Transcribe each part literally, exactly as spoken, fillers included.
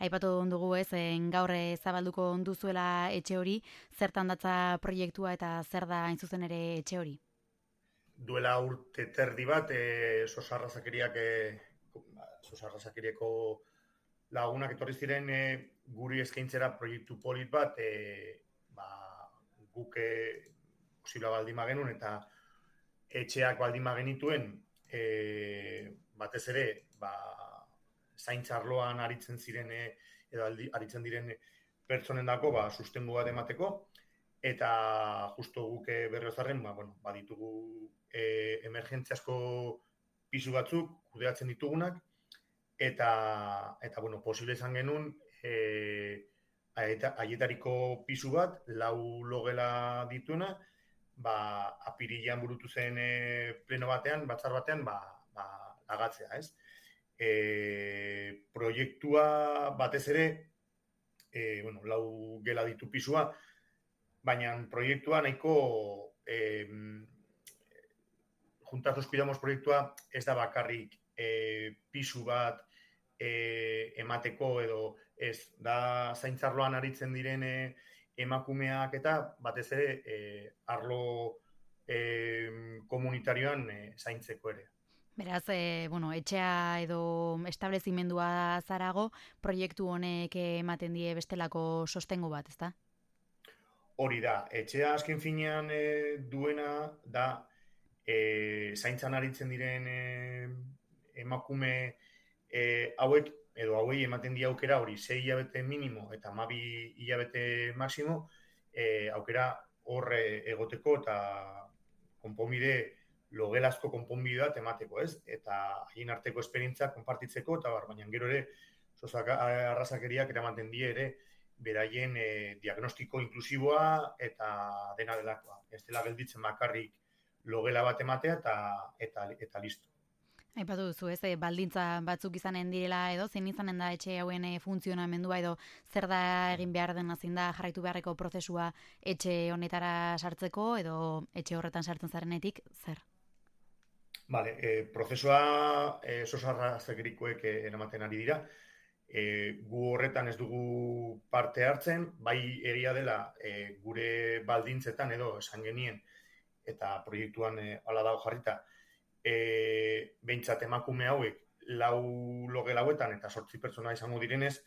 Aipatu dugu ez, en, gaur eh, zabalduko duzuela etxe hori, zertan datza proiektua eta zer da hain zuzen ere etxe hori? Duela urte terdi bat, e, sosarrazakeriak, e, sosarrazakerieko lagunak etorri ziren e, guri eskaintzera proiektu polit bat, e, ba, guk e, posibla baldin magenun eta etxeak baldin magenituen, e, batez ere, ba, zaintzarloan aritzen ziren, e, edo aldi, aritzen diren pertsonen dako, ba, sustengu bat emateko, eta justo guk berriozarren, ba, bueno, baditugu e, emergentziasko pisu batzuk, kudeatzen ditugunak, eta, eta bueno, posible izan genuen, e, haietariko pisu bat, lau logela dituena, ba, apirilean burutu zen e, pleno batean, batzar batean, ba, ba, lagatzea, ez? E, proiektua batez ere, e, bueno, lau gela ditu pisua, baina proiektua nahiko eh, Juntas nos cuidamos proiektua ez da bakarrik eh, pisu bat eh, emateko edo ez da zaintzarloan aritzen diren eh, emakumeak eta batez ere eh, arlo eh, komunitarioan eh, zaintzeko ere. Beraz, e, bueno, etxea edo establezimendua zarago, proiektu honek ematen die bestelako sostengu bat, ezta? Hori da, etxea azken finean e, duena da e, zaintzan aritzen diren e, emakume e, hauek, edo hauei ematen di aukera hori sei hilabete minimo eta hamabi hilabete maximo, e, aukera horre egoteko eta konponbide, logelazko konponbide bat emateko, ez? Eta haien arteko esperientzia konpartitzeko, eta bar, baina gero ere, sozak arrazakeriak eramaten die ere, beraien e, diagnostiko inklusiboa eta dena delakoa. Ez dela gelditzen bakarrik logela bat ematea eta, eta, eta listo. Aipatu duzu, ez, e, baldintza batzuk izanen direla edo, zein izanen da etxe hauen e, funtzionamendua edo zer da egin behar dena, zein da jarraitu beharreko prozesua etxe honetara sartzeko edo etxe horretan sartzen zarenetik, zer? Vale, e, prozesua e, sosarrazegerikoek e, eramaten ari dira. E, gu horretan ez dugu parte hartzen, bai egia dela e, gure baldintzetan edo esan genien eta proiektuan e, ala dago jarrita, e, behintzat emakume hauek lau loge lauetan eta sortzi pertsona izango direnez,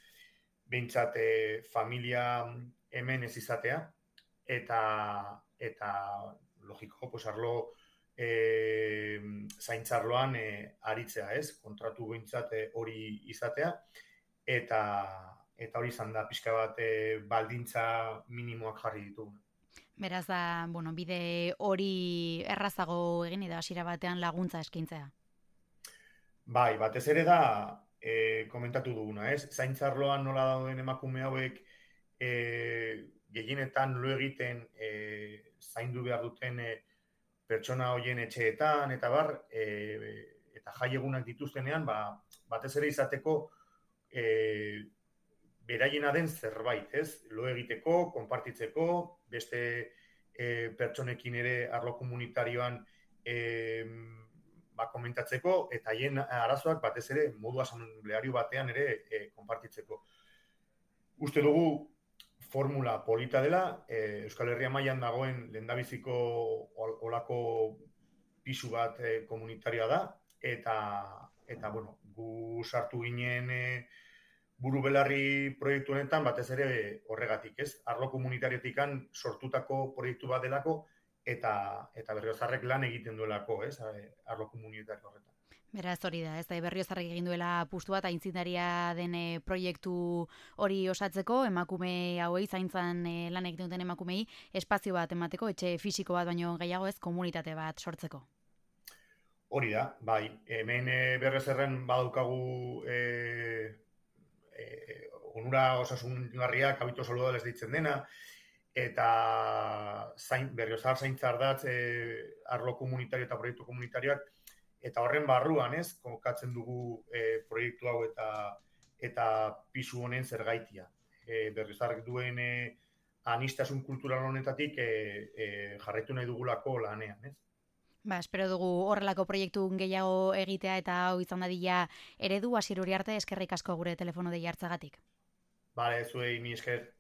behintzat e, familia hemen ez izatea eta, eta logiko, pues arlo e, zaintzarloan e, aritzea, ez? Kontratu behintzat e, hori izatea, eta eta hori izan da pixka bat e, baldintza minimoak jarri ditugu. Beraz da, bueno, bide hori errazago egin edo hasiera batean laguntza eskaintzea. Bai, batez ere da e, komentatu duguna, ez? Zaintzarloan nola dauden emakume hauek e, gehienetan lo egiten e, zaindu behar duten e, pertsona hoien etxeetan eta bar, e, eta jai egunak dituztenean, ba, batez ere izateko E, beraiena den zerbait, ez? Lo egiteko, konpartitzeko, beste e, pertsonekin ere arlo komunitarioan e, ba, komentatzeko, eta haien arazoak batez ere modu asambleario batean ere e, konpartitzeko. Uste dugu formula polita dela, e, Euskal Herria mailan dagoen lehendabiziko olako pisu bat e, komunitarioa da, eta eta bueno, gu sartu ginen e, buru belarri proiektu honetan batez ere horregatik, ez? Arlo komunitariotikan sortutako proiektu bat delako eta eta Berriozarrek lan egiten duelako, ez? Arlo komunitario horretan. Beraz hori da, ez da Berriozarrek egin duela apustu bat aitzindaria den e, proiektu hori osatzeko, emakume hauei zaintzan e, lan egiten duten emakumei espazio bat emateko, etxe fisiko bat baino gehiago ez, komunitate bat sortzeko. Hori da, bai, hemen e, Berriozarren badaukagu e, e, onura osasungarria, kabito saludales deitzen dena, eta zain, Berriozar zaintzardatz e, arlo komunitario eta proiektu komunitarioak, eta horren barruan, ez, kokatzen dugu e, proiektu hau eta eta pisu honen zergaitia. E, Berriozarrek duen e, anistasun kultural honetatik e, e, jarraitu nahi dugulako lanean, ez? Ba, espero dugu horrelako proiektu gehiago egitea eta hau izan dadila eredu. Asier Uriarte, eskerrik asko gure telefono dei hartzagatik. Bale, zuei mi esker.